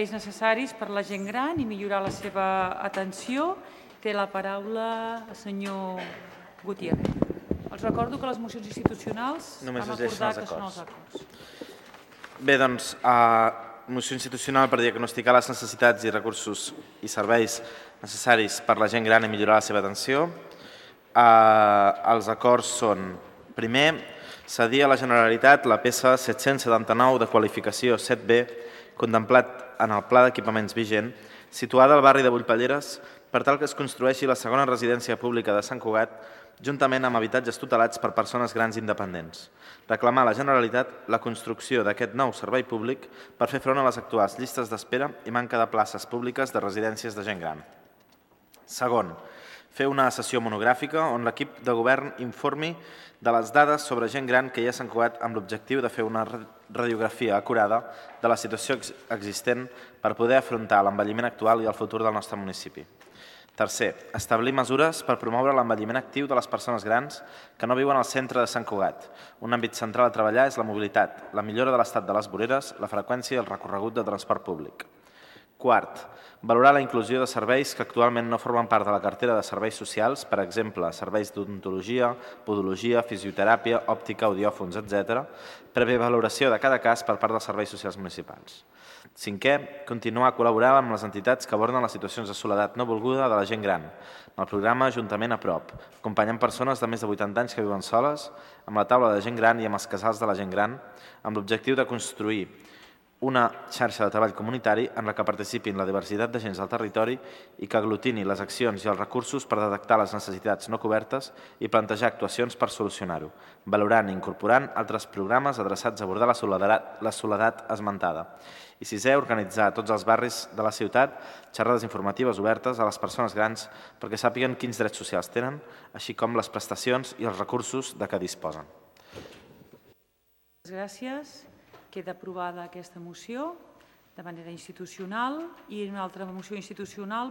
serveis necessaris per a la gent gran i millorar la seva atenció. Té la paraula el senyor Gutiérrez. Els recordo que les mocions institucionals Només vam es llegeixen acordar els que són acords. els acords. Bé, doncs, moció institucional per diagnosticar les necessitats i recursos i serveis necessaris per a la gent gran i millorar la seva atenció. Els acords són, primer, cedir a la Generalitat la peça 779 de qualificació 7B contemplat en el Pla d'Equipaments vigent, situada al barri de Bullpelleres, per tal que es construeixi la segona residència pública de Sant Cugat, juntament amb habitatges tutelats per persones grans independents. Reclamar a la Generalitat la construcció d'aquest nou servei públic per fer front a les actuals llistes d'espera i manca de places públiques de residències de gent gran. Segon, fer una sessió monogràfica on l'equip de govern informi de les dades sobre gent gran que hi ha a Sant Cugat amb l'objectiu de fer una radiografia acurada de la situació existent per poder afrontar l'envelliment actual i el futur del nostre municipi. Tercer, establir mesures per promoure l'envelliment actiu de les persones grans que no viuen al centre de Sant Cugat. Un àmbit central a treballar és la mobilitat, la millora de l'estat de les voreres, la freqüència i el recorregut de transport públic. Quart, valorar la inclusió de serveis que actualment no formen part de la cartera de serveis socials, per exemple, serveis d'odontologia, podologia, fisioteràpia, òptica, audiòfons, etc., prèvia valoració de cada cas per part dels serveis socials municipals. Cinquè, continuar col·laborant amb les entitats que aborden les situacions de soledat no volguda de la gent gran, amb el programa Ajuntament a prop, acompanyant persones de més de 80 anys que viuen soles, amb la taula de gent gran i amb els casals de la gent gran, amb l'objectiu de construir una xarxa de treball comunitari en la que participin la diversitat d'agents del territori i que aglutini les accions i els recursos per detectar les necessitats no cobertes i plantejar actuacions per solucionar-ho, valorant i incorporant altres programes adreçats a abordar la soledat esmentada. I sisè, organitzar a tots els barris de la ciutat xerrades informatives obertes a les persones grans perquè sàpiguen quins drets socials tenen, així com les prestacions i els recursos de què disposen. Gràcies. Queda aprovada aquesta moció de manera institucional i una altra moció institucional